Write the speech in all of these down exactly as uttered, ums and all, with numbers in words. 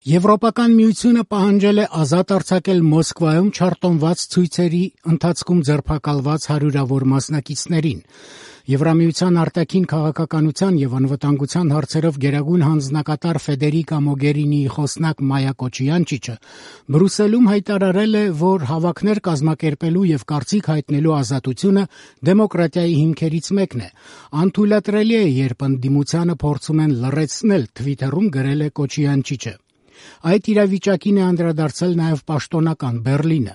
Եվրոպական միությունը պահանջել է ազատ արձակել Մոսկվայում չարտոնված ցույցերի ընթացքում ձերբակալված հարյուրավոր մասնակիցներին։ Եվրամիության արտաքին քաղաքականության եւ անվտանգության հարցերով գերագույն հանձնակատար Ֆեդերիկա Մոգերինիի խոսնակ Մայա Կոչյանչիչը Բրյուսելում հայտարարել է, որ հավաքներ կազմակերպելու եւ կարծիք հայտնելու ազատությունը դեմոկրատիայի հիմքերից մեկն է։ Անթույլատրելի է, երբ ընդդիմությանը փորձում են լռեցնել, Թվիթերում գրել է Կոչյանչիչը։ Այդ իրավիճակին է անդրադարձել նաև պաշտոնական Բեռլինը։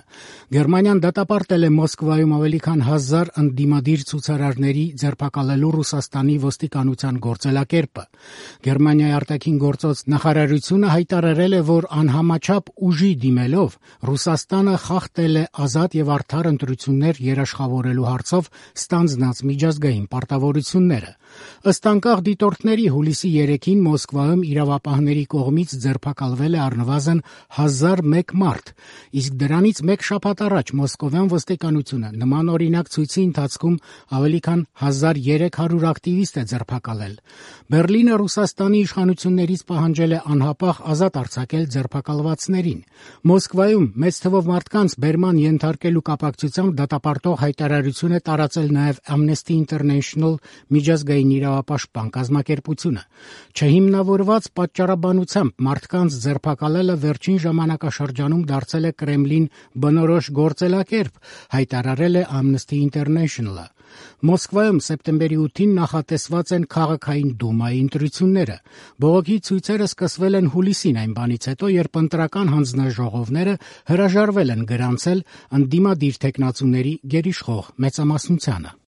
Գերմանիան դատապարտել է Մոսկվայում ավելի քան հազար ընդդիմադիր ցուցարարների ձերբակալելու Ռուսաստանի ոստիկանության գործելակերպը։ Գերմանիայի արտաքին գործոց նախարարությունը հայտարարել է, որ անհամաչափ ուժի դիմելով Ռուսաստանը խախտել է ազատ եւ արդար ընտրություններ երաշխավորելու հարցով ստանձնած միջազգային պարտավորությունները։ Ըստ անկախ դիտորդների հուլիսի երեքին Մոսկվայում իրավապահների կողմից ձերբակալվել է առնվազն հազար մեկ մարդ, իսկ դրանից մեկ շաբաթ առաջ մոսկովյան ոստիկանությունը նմանօրինակ ցույցի ընթացքում ավելի քան հազար երեք հարյուր ակտիվիստ է ձերբակալել։ Բեռլինը Ռուսաստանի իշխանություններից պահանջել է անհապաղ ազատ արձակել ձերբակալվածներին։ Մոսկվայում մեծ թվով մարդկանց բերման ենթարկելու կապակցությամբ դատապարտող հայտարարություն է տարածել նաև Amnesty International միջազգային իրավապաշտպան կազմակերպությունը։ Չհիմնավորված պատճառաբանությամբ մարդկանց ձերբակալելը վերջին ժամանակաշրջանում դարձել է Կրեմլին բնորոշ գործելակերպ, հայտարարել է Amnesty International-ը։ Մոսկվայում սեպտեմբերի ութին նախատեսված են քաղաքային դումայի ընտրությունները։ Բողոքի ցույցերը սկսվել են հուլիսին այն բանից հետո, երբ ընտրական հանձնաժողովները հրաժարվել են գրանցել ընդդիմադիր թեկնածուների գերիշխող մեծամասնությանը։